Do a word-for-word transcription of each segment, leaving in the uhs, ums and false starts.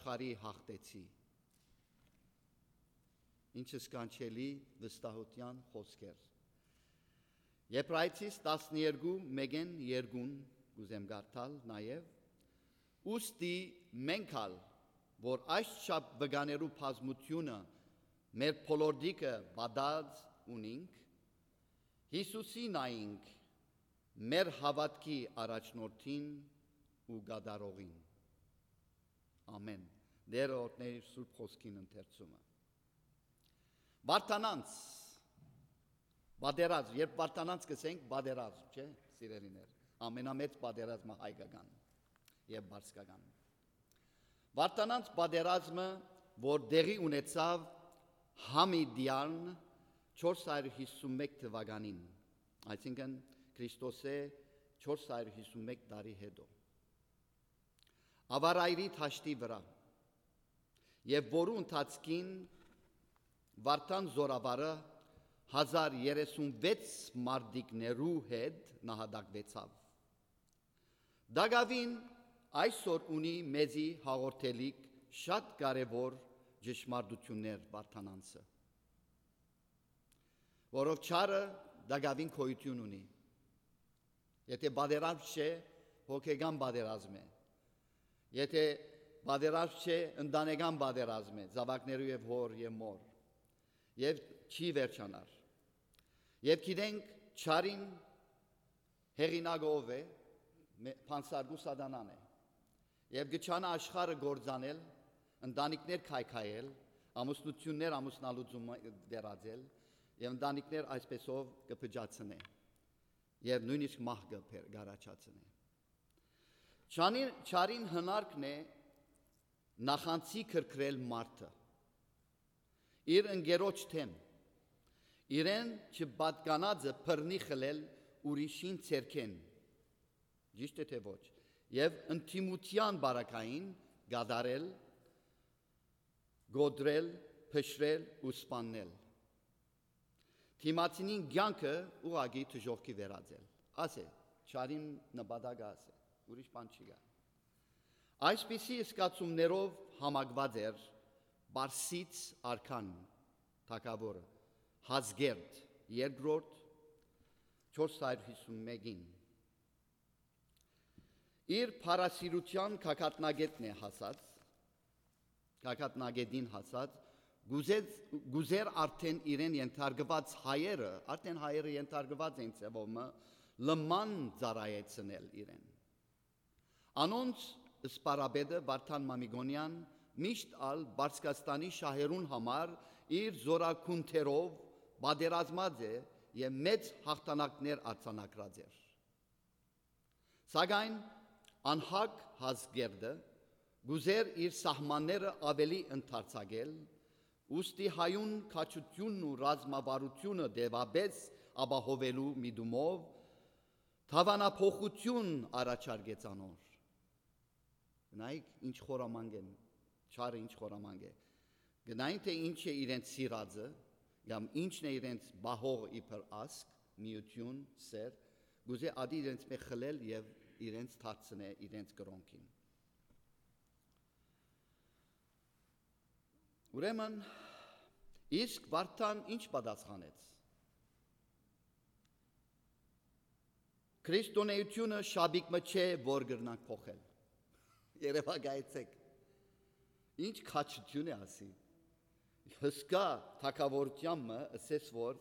աշխարհի յաղթեցի։ Ինչ սքանչելի վստահութեան խօսքեր։ Եբրայեցիս տասներկու մէկէն երկուն կ'ուզեմ կարդալ նաեւ. «Ուստի մենք ալ, որ այս չափ վկաներու բազմութիւնը մեր բոլորտիքը պատած ունինք, Յիսուսի նայինք, մեր հաւատքի առաջնորդին ու կատարողին»։ Ամէն։ Տէրը օրհնէ իր սուրբ խօսքին ընթերցումը։ Վարդանանց, պատերազմ, երբ վարդանանց կ'ըսենք, պատերազմ, չէ՞, սիրելիներ, ամենամեծ պատերազմը հայկական եւ բարսկական։ Վարդանանց պատերազմը, որ տեղի ունեցաւ Համիդիան չորս հարիւր հիսուն մէկ թուականին, այսինքն՝ Քրիստոսէ չորս հարիւր հիսուն մէկ տարի յետոյ, Աւարայրի դաշտի վրայ, եւ որու ընթացքին Վարդան զօրավարը հազար երեսուն վեց մարտիկներու հետ նահատակուեցաւ։ Տակաւին այսօր ունի մեզի հաղորդելիք շատ կարեւոր ճշմարտութիւններ Վարդանանցը, որով չարը տակաւին գոյութիւն ունի։ Եթէ պատերազմ չէ, հոգեկան պատերազմ է։ Եթէ պատերազմ չէ, ընտանեկան պատերազմ է, զաւակներու եւ հօր եւ մօր։ Եւ չի վերջանար։ Եւ գիտենք, չարին հեղինակը ով է, մե-, Փանսարկու Սատանան է։ Եւ կը ջանայ աշխարհը կործանել, ընտանիքներ քայքայել, ամուսնութիւններ, ամուսնալուծումը վերածել, եւ ընտանիքներ այսպեսով կը փճացնէ, եւ նոյնիսկ մահ կը բեր-, կ'առաջացնէ։ Չանի-, չարին հնարքն է նախանձի քրքրել մարդը, իր ընկերոջ դէմ, իրեն չպատկանածը բռնի խլել ուրիշին ձեռքէն, ճիշդ է թէ ոչ, եւ ընդդիմութեան պարագային կատարել, կոտրել, փշրել ու սպաննել։ Դիմացինին կեանքը ուղղակի դժոխքի վերածել։ Ասէ, չարին նպատակը ասէ, ուրիշ բան չի կայ։ Այսպիսի զգացումներով համակուած էր Պարսից արքան, թագաւորը, Հազկերտ երկրորդ, չորս հարիւր հիսուն մէկին։ Իր փառասիրութեան գագաթնակետն է հասած, գագաթնակետին հասած, կուզեց, կուզեր արդէն իրեն ենթարկուած հայերը, արդէն հայերը ենթարկուած էին ձեւով մը, լման ծառայեցնել իրեն։ Անոնց սպարապետը Վարդան Մամիկոնեան միշտ ալ Պարսկաստանի շահերուն համար իր զօրագունդերով պատերազմած է եւ մեծ յաղթանակներ արձանագրած էր։ Սակայն անհագ Հազկերտը կուզեր իր սահմանները աւելի ընդարձակել, ուստի հայուն քաջութիւնն ու ռազմավարութիւնը դեւապէս ապահովելու միտումով դաւանափոխութիւն առաջարկեց անոր։ Գնայք, ինչ խորամանկ են, չարը ինչ խորամանկ է։ Գնային, թէ ինչ է իրենց սիրածը, կամ ինչն է իրենց պահող իբր ազգ, միութիւն, սեր, կուզէ ատի իրենց մէ խլել եւ իրենց դարձնէ իրենց կրօնքին։ Ուրեմն, իսկ Վարդան ինչ պատասխանեց։ Քրիստոնեությունը շապիկ մը չէ, որ կրնանք փոխել։ Երևակայեցեք, ինչ քաջութիւն է ասի։ Հսկայ թագաւորութեան մը ըսես, որ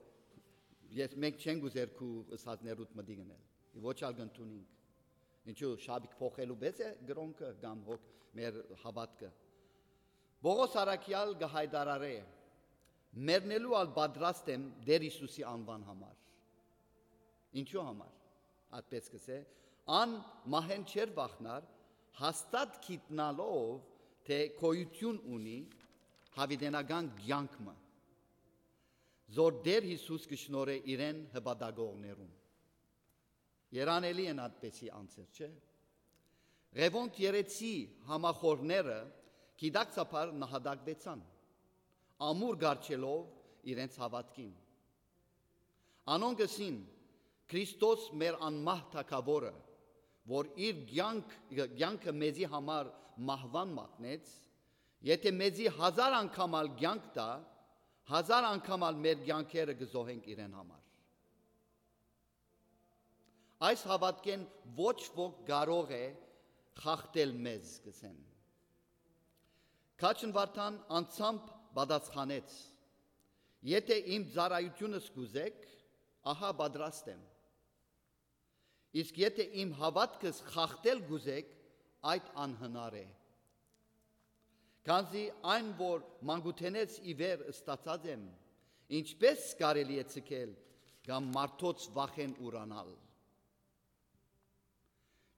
ես, մենք չենք ուզեր քու ըսածներուդ մտի գնել։ Ոչ ալ կ'ընդունինք։ Ինչու՞, շապիկ փոխելու պէս է կրօնքը կամ հոգ մեր հաւատքը։ Պողոս առաքեալ կը հայտարարէ. «Մեռնելու ալ պատրաստ եմ Տէր Յիսուսի անուան համար»։ Ինչու համար։ Այդպես կ'ըսէ. «Ան մահէն չէր վախնար, հաստատ գիտնալով, թէ գոյութիւն ունի յաւիտենական կեանք մը, զոր Տէր Յիսուս կը շնորհէ իրեն հպատակողներուն»։ Երանելի են այդպիսի անձեր, չէ՞։ Ղեւոնդ երեցի համախոհները գիտակցաբար նահատակուեցան, ամուր կառչելով իրենց հաւատքին։ Անոնք ըսին. «Քրիստոս մեր անմահ թագաւորը, որ իր կեանք, կեանքը մեզի համար մահուան մատնեց, Եթէ մեզի հազար անգամ ալ կեանք տայ, հազար անգամ ալ մեր կեանքերը կը զոհենք իրեն համար։ Այս հաւատքէն ոչ ոք կարող է խախտել մեզ, կ'ըսեն։ Քաչն Վարդան անձամբ պատասխանեց. «Եթէ իմ ծառայութիւնս կ'ուզէք, ահա պատրաստ եմ։ Իսկ եթէ իմ հաւատքս խախտել կ'ուզէք, այդ անհնար է։ Քանզի այն, որ մանկութենէս ի վեր ստացած եմ, ինչպէս կարելի է ձգել կամ մարդոց վախէն ուրանալ։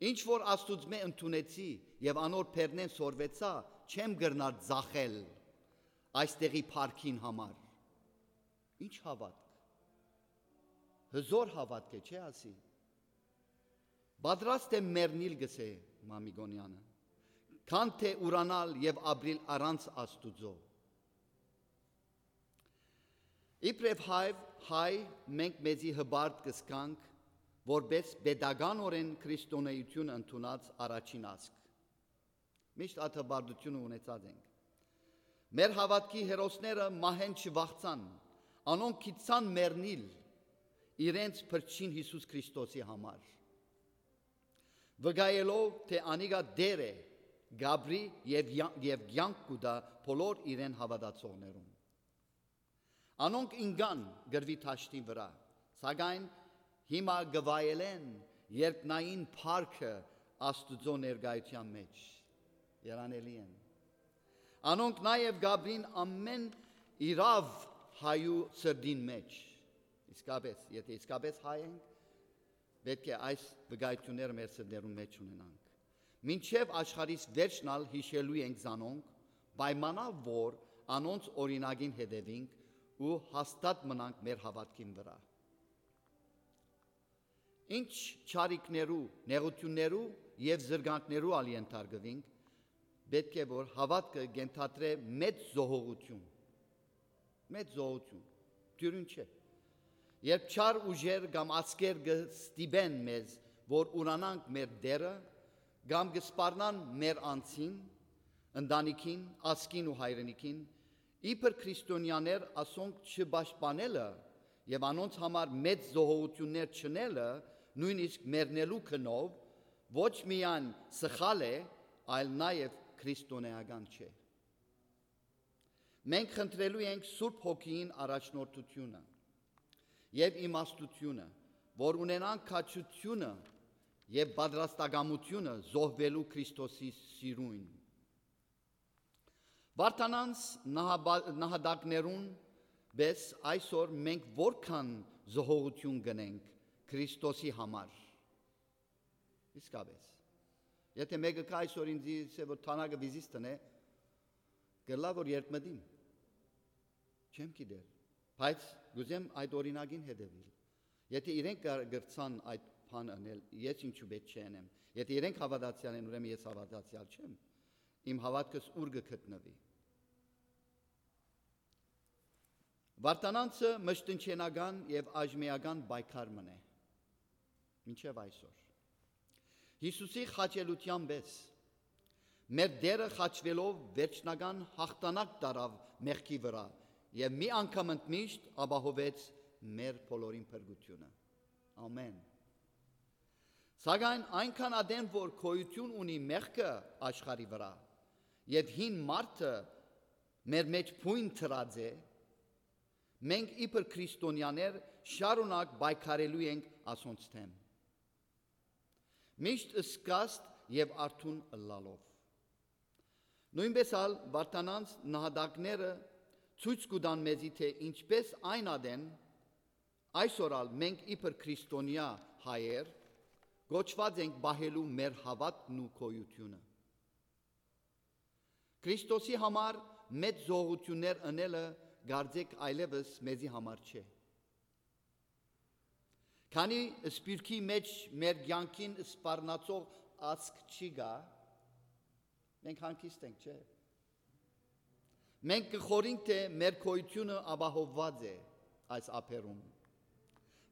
Ինչ որ Աստուծմէ ընդունեցի եւ անոր բերնէն սորվեցայ, չեմ կրնար ծախել այս տեղի փառքին համար»։ Ինչ հաւատք։ Հզոր հաւատք է, չէ՞ ասի։ «Պատրաստ եմ մեռնիլ», կ'ըսէ Մամիկոնեանը, «քան թէ ուրանալ եւ ապրիլ առանց Աստուծոյ»։ Իբրեւ հայ, հայ մենք մեզի հպարտ կ'զգանք որպէս պետականօրէն քրիստոնէութիւն ընդունած առաջին ազգ։ Միշտ այդ հպարտութիւնը ունեցած ենք։ Մեր հաւատքի հերոսները մահէն չվախցան, անոնք գիտցան մեռնիլ իրենց փրկչին Յիսուս Քրիստոսի համար, վկայելով թէ անիկա Տէր է, կ'ապրի եւ, յա- եւ կեանք կու տայ բոլոր իրեն հաւատացողներուն։ Անոնք ինկան կռուի դաշտին վրայ, սակայն հիմա կը վայելեն երկնային փառքը Աստուծոյ ներկայութեան մէջ։ Երանելի են։ Անոնք նաեւ կ'ապրին ամէն իրաւ հայու սրտին մէջ։ Իսկապէս, եթէ իսկապէս հայ ենք, պէտք է այս վկայութիւնները մեր սրտերուն մէջ ունենանք։ Մինչեւ աշխարհիս վերջն ալ յիշելու ենք զանոնք, պայմանաւ որ անոնց օրինակին հետեւինք ու հաստատ մնանք մեր հաւատքին վրայ։ Ինչ չարիքներու, նեղութիւններու եւ զրկանքներու ալ ենթարկուինք, պէտք է որ հաւատքը կ'ենթադրէ մեծ զոհողութիւն։ Մեծ զոհութիւն, դիւրին չէ։ Երբ չար ուժեր կամ ազգեր կը ստիպեն մեզ, որ ուրանանք մեր Տէրը, կամ կը սպառնան մեր անձին, ընտանիքին, ազգին ու հայրենիքին, իբր քրիստոնեաներ ասոնք չպաշտպանելը եւ անոնց համար մեծ զոհողութիւններ չընելը, նոյնիսկ մեռնելու գնով, ոչ միայն սխալ է, այլ նաեւ քրիստոնէական չէ։ Մենք խնդրելու ենք Սուրբ Հոգիին առաջնորդութիւնը եւ իմաստութիւնը, որ ունենանք քաջութիւնը եւ պատրաստակամութիւնը զոհուելու Քրիստոսի սիրոյն։ Վարդանանց նահապա- նահատակներուն պէս այսօր մենք որքան զոհողութիւն կ'ընենք Քրիստոսի համար։ Իսկապէս։ Եթէ մէկը կայ այսօր ինձի, ասէ որ թանագը վիզիս տնէ, կ'ըլլայ որ երկմտիմ։ Չեմ գիտեր, բայց կ'ուզեմ այդ օրինակին հետեւիլ։ Եթէ իրենք կար- կրցան այդ բան ընել, ես ինչու պէտք չէ ընեմ։ Եթէ իրենք հաւատացեալ են, ուրեմն ես հաւատացեալ չեմ։ Իմ հաւատքս ո՞ւր կը գտնուի։ Վարդանանցը մշտնջենական եւ աժմեական պայքար մըն է մինչեւ այսօր։ Յիսուսի խաչելութեան պէս, մեր Տէրը խաչուելով վերջնական յաղթանակ տարաւ մեղքի վրայ եւ մի անգամ ընդմիշտ ապահովեց մեր բոլորին փրկութիւնը։ Ամէն։ Սակայն այնքան ատեն որ գոյութիւն ունի մեղքը աշխարհի վրայ եւ հին մարդը մեր մէջ բոյն դրած է, մենք իբր քրիստոնեաներ շարունակ պայքարելու ենք ասոնց դէմ, միշտ զգաստ եւ արթուն ըլլալով։ Նոյնպէս ալ Վարդանանց նահատակները ցոյց կու տան մեզի, թէ ինչպէս այն ատեն այսօր ալ մենք իբր քրիստոնեայ հայեր կոչուած ենք պահելու մեր հաւատքն ու գոյութիւնը։ Քրիստոսի համար մեծ զոհողութիւններ ընելը կարծէք այլեւս մեզի համար չէ։ Քանի սփիւռքի մէջ մեր կեանքին սպառնացող ազգ չի գա, մենք հանգիստ ենք, չէ՞։ Մենք կը խորհենք, թէ մեր գոյութիւնը ապահովուած է այս ափերուն։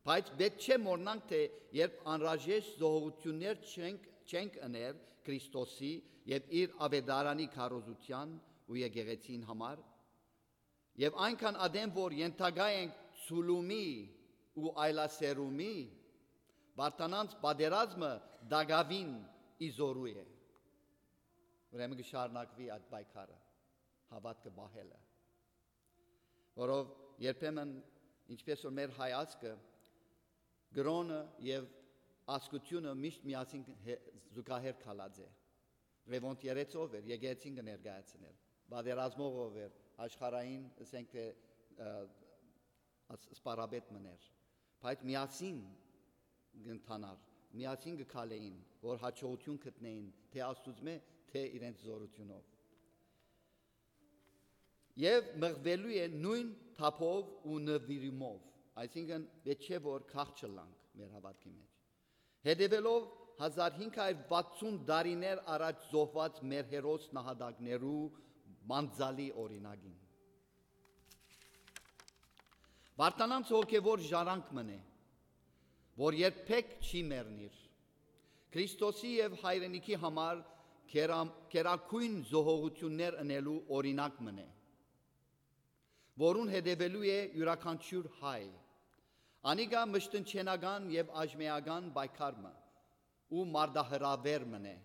Բայց պէտք չէ մոռնանք, թէ երբ անհրաժեշտ զոհողութիւններ չենք, չենք ըներ Քրիստոսի եւ իր աւետարանի քարոզութեան ու եկեղեցին համար, եւ այնքան ատեն որ ենթակայ ենք ցուլումի ու այլասերումի, վարդանանց պատերազմը տակաւին ի զօրու է։ Ուրեմն կը շարունակուի այդ պայքարը, հաւատքը պահելը, որով երբեմն, ինչպես որ մեր հայ ազգը, կրօնը եւ ազգութիւնը միշտ միասին հե-, զուգահեռ քալած է։ Ռեւոնտ երեկ ով էր, եկեղեցին կը ներկայացնէր, պատերազմող ով էր, աշխարհային, ասենք թէ, ը, աս-, սպառապետ մըն էր, բայց միասին կ'ընթանար, միասին կը քալէին, որ յաջողութիւն գտնէին թէ Աստուծմէ, թէ իրենց զօրութիւնով։ Եւ մղուելու է նոյն թափով ու նուիրումով, այսինքն՝ պէտք չէ որ քախ չըլլանք մեր հաւատքի մէջ, հետեւելով հազար հինգ հարիւր վաթսուն տարիներ առաջ զոհուած մեր հերոս նահատակներու մանցալի օրինակին։ Վարդանանց հոգեւոր ժառանգ մըն է, որ երբեք չի մեռնիր։ Քրիստոսի եւ հայրենիքի համար կերա-, կերակոյն զոհողութիւններ ընելու օրինակ մըն է, որուն հետեւելու է իւրաքանչիւր հայ։ Անիկա մշտնջենական եւ աժմեական պայքար մը ու մարտահրաւէր մըն է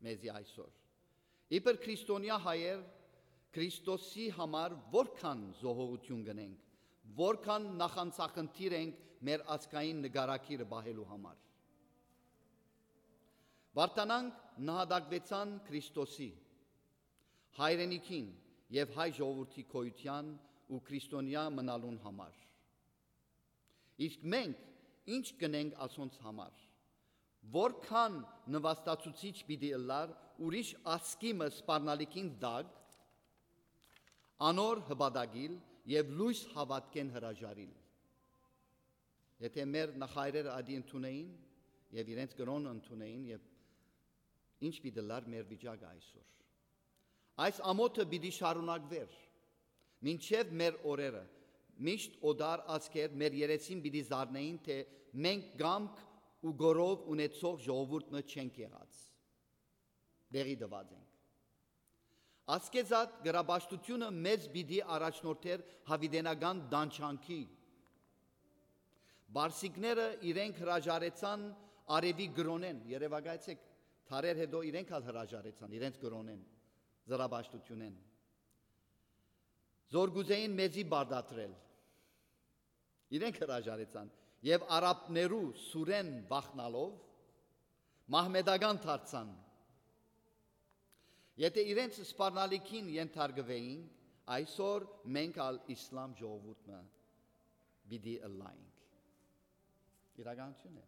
մեզի այսօր։ Իբր քրիստոնեայ հայեր, Քրիստոսի համար որքան զոհողութիւն կ'ընենք, որքան նախանձախնդիր ենք մեր ազգային նկարագիրը պահելու համար։ Վարդանանք նահատակուեցան Քրիստոսի, հայրենիքին եւ հայ ժողովուրդի գոյութեան ու քրիստոնեայ մնալուն համար։ Իսկ մենք ի՞նչ կ'ընենք ասոնց համար։ Որքան նուաստացուցիչ պիտի ըլլար ուրիշ ազգի մը սպառնալիքին տակ, անոր հպատակիլ եւ լոյս հաւատքէն հրաժարիլ։ Եթէ մեր նախահայրերը ադի ընդունէին եւ իրենց կրօնը ընդունէին, եւ ի՞նչ պիտի ըլլար մեր վիճակը այսօր։ Այս ամոթը պիտի շարունակուէր մինչեւ մեր օրերը, միշտ օտար ազգեր մեր երեսին պիտի զարնէին, թէ մենք կամք ու գորով ունեցող ժողովուրդ մը չենք եղած, տեղի տուած ենք։ Ասկեզատ գրապաշտութիւնը մեզ պիտի առաջնորդէր յաւիտենական տանջանքի։ Պարսիկները իրենք հրաժարեցան արեւի կրօնէն, երեւակայեցէք, դարեր հետո իրենք ալ հրաժարեցան իրենց կրօնէն, զրապաշտութիւնէն, զոր կ'ուզէին մեզի պարտադրել։ Իրենք հրաժարեցան եւ արաբներու սուրէն վախնալով մահմետական դարձան։ Եթէ իրենց սպառնալիքին ենթարկուէին, այսօր մենք ալ իսլամ ժողովուրդ մը պիտի ըլլայինք։ Իրականութիւն է։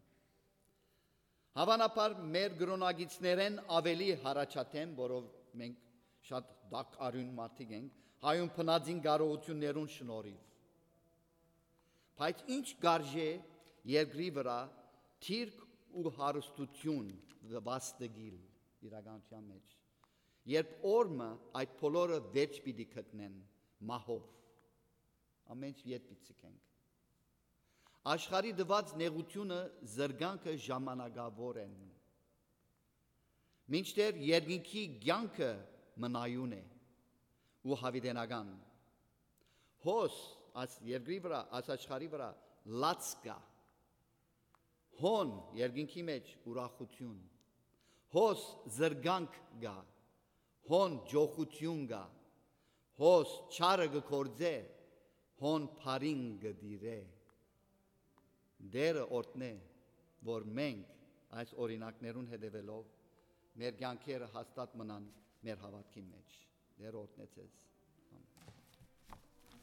Հաւանաբար մեր կրօնակիցներէն աւելի յառաջադէմ, որով մենք շատ տաք արիւն մարդիկ ենք, հայուն բնածին կարողութիւններուն շնորհիւ։ Բայց ի՞նչ կարժէ երկրի վրայ դիրք ու հարստութիւն վաստակիլ իրականութեան մէջ, երբ օր մը այդ բոլորը վերջ պիտի գտնեն մահով։ Ամէն ինչ ետ պիտի ցկենք։ Աշխարհի տուած նեղութիւնը, զրկանքը ժամանակաւոր են, մինչդեռ երկնքի կեանքը մնայուն է ու յաւիտենական։ Հոս այս երկրի վրայ, այս աշխարհի վրայ լաց կայ։ Հոն երկնքի մէջ ուրախութիւն, հոս զրկանք կայ, հոն ջոխութիւն կայ, հոս չարը կը գործէ, հոն բարին կը տիրէ։ Տէրը օրհնէ, որ մենք այս օրինակներուն հետեւելով մեր կեանքերը հաստատ մնան մեր հաւատքին մէջ։ Տէրը օրհնէ ձեզ։